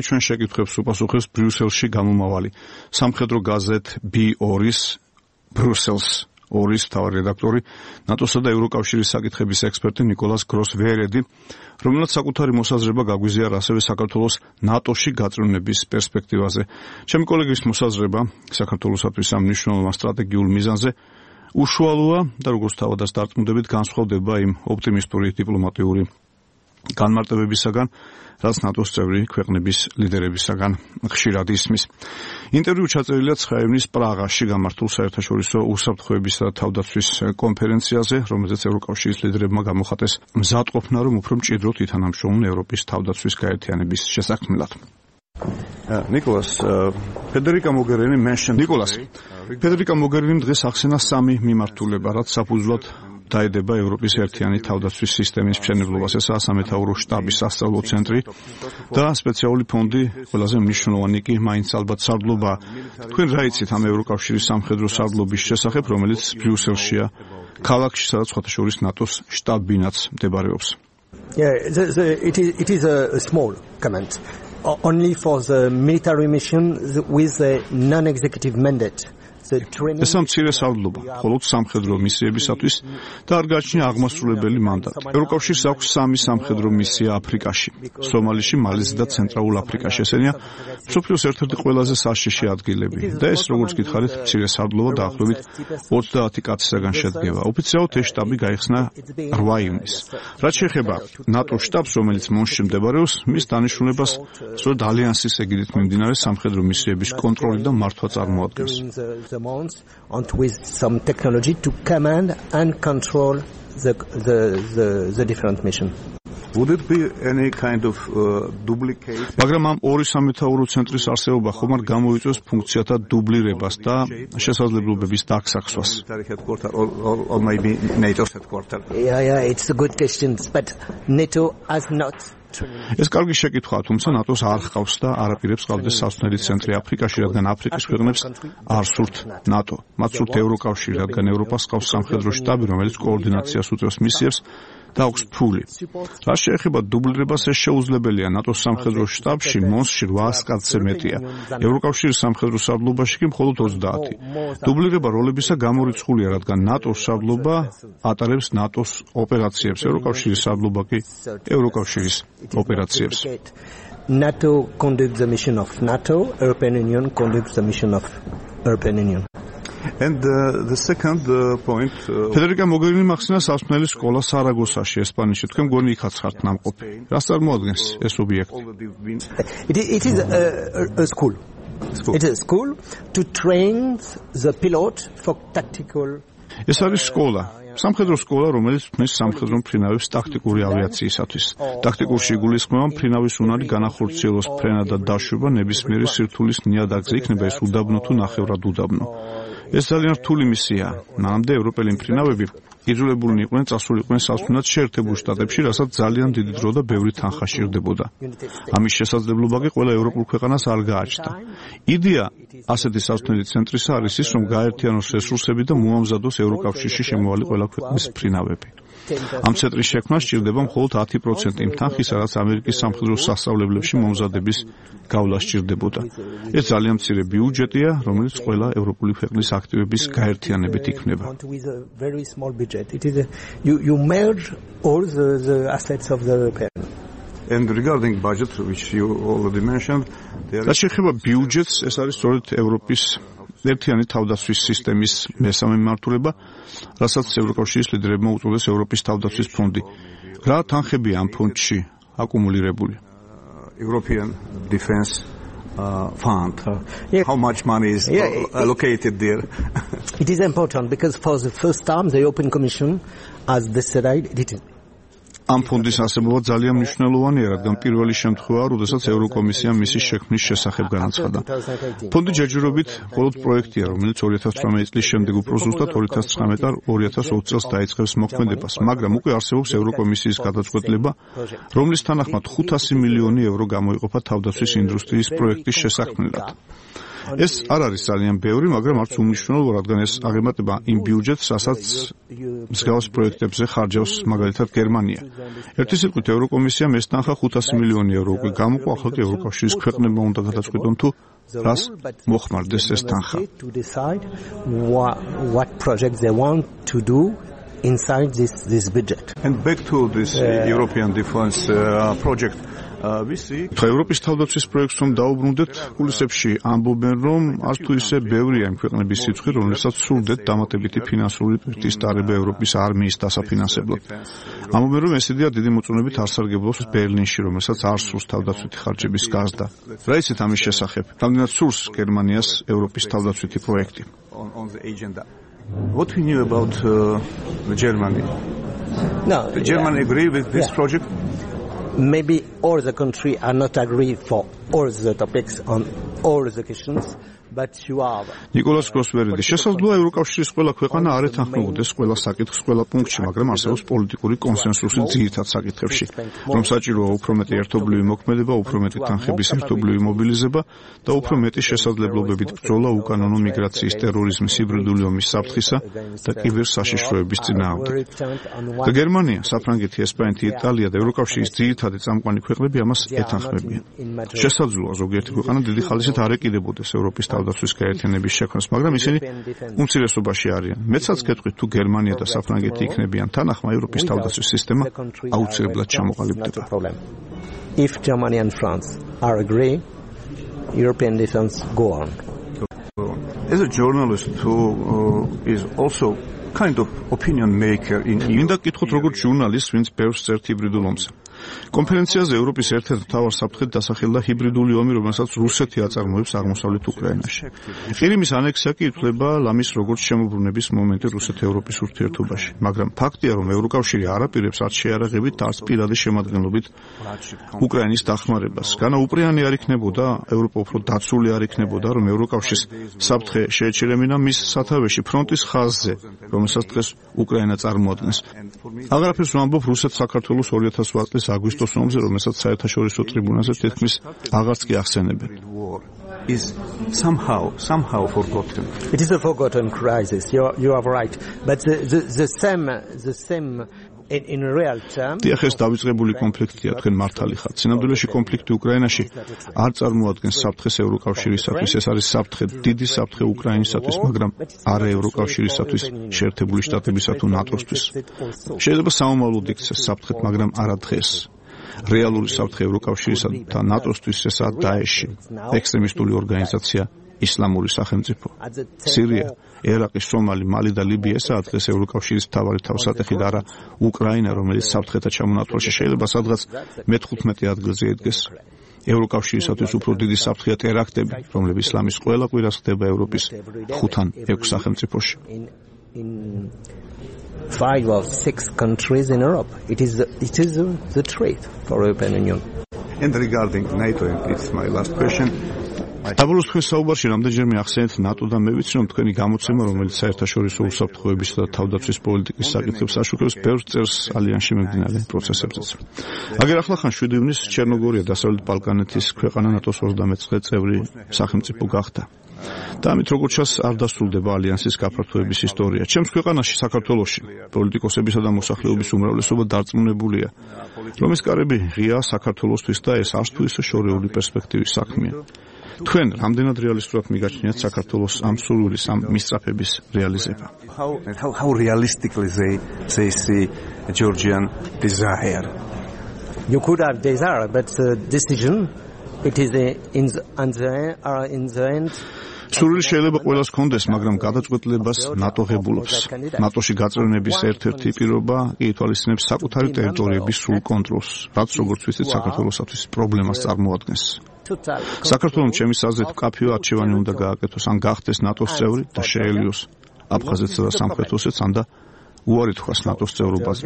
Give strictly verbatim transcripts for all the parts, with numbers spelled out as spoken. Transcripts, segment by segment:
ჩვენ შეკითხვებს უპასუხებს ბრიუსელში გამომავალი სამხედრო გაზეთ ბი ორი-ის ბრიუსელს ორის მთავარი რედაქტორი, ნატოსა და ევროკავშირის საკითხების ექსპერტი ნიკოლას გროს-ვერედი, რომელსაც საკუთარი მოსაზრება გაგვიზიარა ასევე საქართველოს ნატოში გაწევრიანების პერსპექტივაზე. ჩემი კოლეგის მოსაზრება საქართველოსათვის ამ მნიშვნელოვან სტრატეგიულ მიზანზე უშუალოა და როგორც თავადაც დარწმუნდებით განსხვავდება იმ ოპტიმისტური დიპლომატიური განმარტებებისაგან, რაც ნატოს წევრი ქვეყნების ლიდერებისაგან ხშირად ისმის. ინტერვიუ ჩაწერილია ცხრა ივნის პრაღაში გამართულ საერთაშორისო უსაფრთხოებისა და თავდაცვის კონფერენციაზე, რომელზეც ევროკავშირის ლიდერებმა გამოხატეს მზადყოფნა, რომ უფრო მჭიდროდ ითანამშრომლონ ევროპის თავდაცვის გაერთიანების შესაქმნელად. ნიკოლას ფედერიკა მოგერინი mentioned ნიკოლას ფედერიკა მოგერინიმ დღეს ახსენა სამი მიმართულება, რაც საფუძვლად დაედება ევროპის ერთიანი თავდაცვის სისტემის მშენებლობას. ესაა სამეთაურო შტაბის სასწავლო ცენტრი და სპეციალური ფონდი, ყველაზე მნიშვნელოვანი კი მაინც ალბათ სარდლობა. თქვენ რა იცით ამ ევროკავშირის სამხედრო სარდლობის შესახებ, რომელიც ბრიუსელშია, ქალაქში, სადაც სხვათა შორის ნატოს შტაბ-ბინაც მდებარეობს? Yeah, the, the, it is it is a small comment. Only for the military mission with a non-executive mandate. ეს მცირე სარდლობა, მხოლოდ სამხედრო მისიებისათვის და არ გააჩნია აღმასრულებელი მანდატი. ევროკავშირს აქვს სამი სამხედრო მისია აფრიკაში, სომალიში, მალიზში და ცენტრალურ აფრიკაში. ესენია მსოფლიოს ერთ-ერთი ყველაზე საშიში ადგილები და ეს, როგორც გითხარით, მცირე სარდლობა დაახლოებით ოცდაათი კაცისაგან შედგება. ოფიციალურად ეს შტაბი გაიხსნა რვა ივნისს. რაც შეეხება ნატოს შტაბს, რომელიც მონში მდებარეობს, მის დანიშნულებას სწორედ ალიანსის ეგიდით მიმდინარე სამხედრო მისიების კონტროლი და მართვა წარმოადგენს. amounts and with some technology to command and control the the the, the different mission. Would it be any kind of uh, duplicate? მაგრამ ამ ორი სამეთაურო ცენტრის არსებობა ხომ არ გამოიწვევს ფუნქციათა დუბლირებას და შესაძლებლობების დაგსაქსვას? Or, or, or maybe NATO's headquarters. Yeah, yeah, it's a good question, but NATO has not. ეს კარგი შეკითხვაა, თუმცა ნატოს არ ჰყავს და არაპირებს ყავდეს სასწავლელი ცენტრი აფრიკაში, რადგან აფრიკის ქვეყნებს არ სურთ ნატო. მათ სურთ ევროკავშირი, რადგან ევროპას ჰყავს სამხედრო შტაბი, რომელიც კოორდინაციას უწევს მისიებს და აქვს ფული. რაც შეეხება დუბლირებას, ეს შეუძლებელია ნატოს სამხედრო შტაბში მოსში რვაას კაცზე მეტია. ევროკავშირის სამხედრო სარდლობაში კი მხოლოდ ოცდაათი. დუბლირება როლებისა გამორიცხულია, რადგან ნატოს სარდლობა ატარებს ნატოს ოპერაციებს, ევროკავშირის სარდლობა კი ევროკავშირის ოპერაციებს. NATO conducts the mission of NATO, European Union conducts the mission of European Union. And uh, the second uh, point ფედერიკა მოგერინიმ ახსნა სასწავლელი სკოლა სარაგოსაში, ესპანეთში. თქვენ გონი იქაც ხართ ნამყოფი. რას წარმოადგენს ეს ობიექტი? It, it is a, a school. school. It is a school to train the pilot for tactical. ეს არის სკოლა. სამხედრო სკოლა, რომელიც ქმნის სამხედრო მფრინავებს ტაქტიკური ავიაციისათვის. ტაქტიკურში იგულისხმება მფრინავის უნარი განახორციელოს ფრენა და დაშვება ნებისმიერი სირთულის ნიადაგზე, იქნება ეს უდაბნო თუ ნახევრად უდაბნო. ეს ძალიან რთული მისიაა. მანამდე ევროპელი მფრინავები იძულებულნი იყვნენ წასულიყვნენ სასწრაფოდ შეერთებულ შტატებში, რასაც ძალიან დიდი დრო და ბევრი თანხა სჭირდებოდა. ამის შესაძლებლობა კი ყველა ევროპულ ქვეყანას არ გააჩნდა. იდეა ასეთი სასწრაფო ცენტრისა არის ის, რომ გაერთიანოს რესურსები და მოამზადოს ევროკავშირში შემოვალი ყველა ქვეყნის მფრინავები. ამ ცენტრის შექმნა სჭირდება მხოლოდ ათი პროცენტი იმ თანხისა, რაც ამერიკის სამხედრო სასწავლებლებში მომზადების გავლა სჭირდებოდა. ეს ძალიან მცირე ბიუჯეტია, რომელიც ყველა ევროპული ქვეყნის აქტივების გაერთიანებით იქმნება. It is a, you, you merge all the, the assets of the European. And regarding budget, which you already mentioned, there is... შეეხება ბიუჯეტს, ეს არის სწორედ ევროპის ერთიანი თავდაცვის სისტემის მესამე მიმართულება, რასაც ევროკავშირის ლიდერებმა უწოდეს ევროპის თავდაცვის ფონდი. რა თანხებია ამ ფონდში აკუმულირებული? European Defense Uh, fund. Uh, yeah. How much money is yeah, uh, allocated there? It is important because for the first time the European Commission has decided it. ამ ფონდის არსებობა ძალიან მნიშვნელოვანია, რადგან პირველი შემთხვევაა, როდესაც ევროკომისიამ მისი შექმნის შესახებ განაცხადა. ფონდი ჯერჯერობით მხოლოდ პროექტია, რომელიც ორი ათას თვრამეტი წლის შემდეგ უფრო ზუსტად ორი ათას ცხრამეტი და ორი ათას ოცი წელს დაიწყებს მოქმედებას, მაგრამ უკვე არსებობს ევროკომისიის გადაწყვეტილება, რომლის თანახმად ხუთასი მილიონი ევრო გამოიყოფა თავდაცვის ინდუსტრიის პროექტის შესაქმნელად. ეს არ არის ძალიან ბევრი, მაგრამ არც უმნიშვნელო, რადგან ეს აღემატება იმ ბიუჯეტს, რასაც მსგავს პროექტებზე ხარჯავს მაგალითად გერმანია. ერთი სიტყვით ევროკომისიამ ეს თანხა ხუთასი მილიონი ევრო უკვე გამოყვა, ახლა ევროკავშირის ქვეყნებმა უნდა გადაწყვიტონ თუ რას მოხმარდეს ეს თანხა. What projects they want to do inside this this budget. And back to this uh, European defense uh, project. ხა ევროპის თავდაცვის პროექტს რომ დაუბრუნდეთ, კულისებში ამბობენ, რომ არც თუ ისე ბევრია იმ ქვეყნების სიცხე, რომელსაც სურდეთ დამატებითი ფინანსური პირთის დარება ევროპის არმიის დასაფინანსებლად. ამბობენ, რომ ეს იდეა დიდი მოწონებით არ სარგებლობს ბერლინში, რომელსაც არ სურს თავდაცვითი ხარჯების გაზრდა. რა იცით ამის შესახებ? რამდენად სურს გერმანიას ევროპის თავდაცვითი პროექტი? What we knew about uh, Germany? No, the Germany yeah. agree with this yeah. project? Maybe all the country are not agree for all the topics on all the questions, but you are. ნიკოლას კროსვერიდი შესაძლოა ევროკავშირის ყველა ქვეყანა არ ეთანხმებოდეს ყველა საკითხს ყველა პუნქტში, მაგრამ არსებობს პოლიტიკური კონსენსუსი ძირითად საკითხებში, რომ საჭიროა უფრო მეტი ერთობლივი მოქმედება, უფრო მეტი თანხების ერთობლივი მობილიზება და უფრო მეტი შესაძლებლობებით ბრძოლა უკანონო მიგრაციის, ტერორიზმის, ჰიბრიდული ომის საფრთხისა და კიბერსაშიშროების წინააღმდეგ. და გერმანია, საფრანგეთი, ესპანეთი, იტალია და ევროკავშირის ძირითადი წამყვანი ქვეყნები ამას ეთანხმებიან. შესაძლოა ზოგიერთი ქვეყანა დიდი ხალისით არ ეკიდებოდეს ევროპის თავდაცვის გაერთიანების შექმნას, მაგრამ ისინი უმცირესობაში არიან. მეცაც გეტყვით, თუ გერმანია და საფრანგეთი იქნებიან თანახმა, ევროპის თავდაცვის სისტემა აუცილებლად ჩამოყალიბდება. If Germany and France are agree, European defense go on. As a journalist who uh, is also kind of opinion maker in მინდა გკითხოთ როგორც ჟურნალისტს, ვინც ბევრს წერს ჰიბრიდულ ომზე. კონფერენციაზე ევროპის ერთ-ერთ მთავარ საფრთხედ დასახელდა ჰიბრიდული ომი, რომელსაც რუსეთი აწარმოებს აღმოსავლეთ უკრაინაში. ყირიმის ანექსია კი ითვლება ლამის როგორც შემოbrunების მომენტი რუსეთ-ევროპის ურთიერთობაში, მაგრამ ფაქტია, რომ ევროკავშირი არ აპირებს არც შეიარაღებით, არც პირადი შემადგენლობით უკრაინის დახმარებას. განა უპრიანი არ იქნებოდა, ევროპა უფრო დაცული არ იქნებოდა, რომ ევროკავშირის საფრთხე შეეჩერებინა მის სათავეში ფრონტის ხაზზე, რომელსაც დღეს უკრაინა წარმოადგენს. აღარაფერს ვამბობ რუსეთ საქართველოს ორი ათას ოთხ წლის აგვისტოს ომზე, რომელსაც საერთაშორისო ტრიბუნალზე თითქმის აღარც კი ახსენებენ. Is somehow somehow forgotten. It is a forgotten crisis. You are, you are right. But the the, the same the same in, in real terms. დიახ, ეს დავიწყებული კონფლიქტია, თქვენ მართალი ხართ. სინამდვილეში კონფლიქტი უკრაინაში არ წარმოადგენს საფრთხეს ევროკავშირისათვის, ეს არის საფრთხე, დიდი საფრთხე უკრაინისათვის, მაგრამ არა ევროკავშირისათვის, შეერთებული შტატებისა თუ ნატოსთვის. შეიძლება საომავლოდ იქცეს საფრთხეთ, მაგრამ არა დღეს. რეალური საფრთხე ევროკავშირისა და ნატოსთვის ესაა დაეში, ექსტრემისტული ორგანიზაცია ისლამური სახელმწიფო. სირია, ერაყი, სომალი, მალი და ლიბია ესაა დღეს ევროკავშირის მთავარი თავსატეხი და არა უკრაინა, რომელიც საფრთხეთა ჩამონათვალში შეიძლება სადღაც მეთხუთმეტე ადგილზე იდგეს. ევროკავშირისათვის უფრო დიდი საფრთხეა ტერაქტები, რომლებიც ისლამის ყველა კვირას ხდება ევროპის ხუთ-ან ექვს სახელმწიფოში. Five or six countries in Europe. It is the, it is the, the threat for European Union. And regarding NATO, and it's my last question. დაბოლოს თქვენ საუბარში რამდენჯერმე ახსენეთ ნატო და მე ვიცი, რომ თქვენი გამოცემა, რომელიც საერთაშორისო უსაფრთხოებისა და თავდაცვის პოლიტიკის საკითხებს აშუქებს, ბევრ წერს ალიანსში მიმდინარე პროცესებზეც. აგერ ახლახან შვიდი ივნისს ჩერნოგორია, დასავლეთ ბალკანეთის ქვეყანა ნატოს ოცდამეცხრე წევრი სახელმწიფო გახდა. და ამით როგორც ჩანს, არ დასრულდება ალიანსის გაფართოების ისტორია. ჩემს ქვეყანაში, საქართველოში, პოლიტიკოსებისა და მოსახლეობის უმრავლესობა დარწმუნებულია, რომ ეს კარები ღია საქართველოსთვის და ეს არც თუ ისე შორეული პერსპექტივის საქმეა. თქვენ რამდენად რეალისტურად მიგაჩნიათ საქართველოს ამ სურვილის, ამ მისწრაფების რეალიზება? How, how, how realistically they, they see Georgian desire? You could have desire, but the decision, it is a, in the, in the, uh, in the end. სურვილი შეიძლება ყველას ჰქონდეს, მაგრამ გადაწყვეტილებას ნატო ღებულობს. ნატოში გაწევრიანების ერთ-ერთი პირობა ითვალისწინებს საკუთარი ტერიტორიების სრულ კონტროლს, რაც როგორც ვიცით, საქართველოსათვის პრობლემას წარმოადგენს. საქართველოს ჩემის აზრით კაფეო არჩევანი უნდა გააკეთოს, ან გახდეს ნატოს წევრი და შეელიოს აფხაზეთსა და სამხრეთ ოსეთს, ან და უარი თქვას ნატოს წევრობაზე.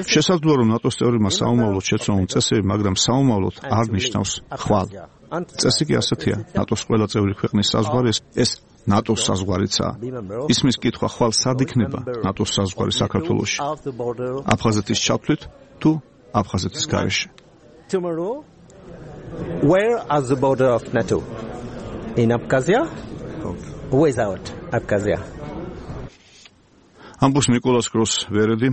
შესაძლოა, რომ ნატოს წევრებმა საომავლოდ შეცვალონ წესები, მაგრამ საომავლოდ არ ნიშნავს ხვალ. წესი კი ასეთია, ნატოს ყველა წევრი ქვეყნის საზღვარი ეს ნატოს საზღვარიცაა. ისმის კითხვა ხვალ სად იქნება ნატოს საზღვარი საქართველოში? აფხაზეთის ჩათვლით თუ აფხაზეთის გარეშე? Where are the border of NATO? in Abkhazia, without Abkhazia. ამბობს ნიკოლას გროს-ვერედი,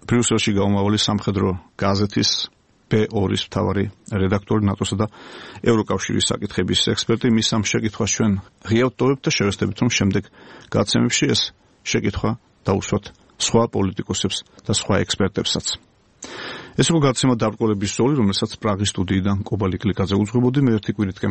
ბრიუსელში გაუმავალი სამხედრო გაზეთის ბე ორის მთავარი რედაქტორი, ნატოსა და ევროკავშირის საკითხების ექსპერტი. მის ამ შეკითხვას ჩვენ ღიავთ ტოვებთ და შევესწრებით, რომ შემდეგ გადაცემებში ეს შეკითხვა დაუსვათ სხვა პოლიტიკოსებს და სხვა ექსპერტებსაც. ეს იყო გადაცემა დაბრკოლების ზოლი, რომელსაც პრაღის სტუდიიდან კობალი კლიკაძე უძღვებოდი. მე ერთი კვირით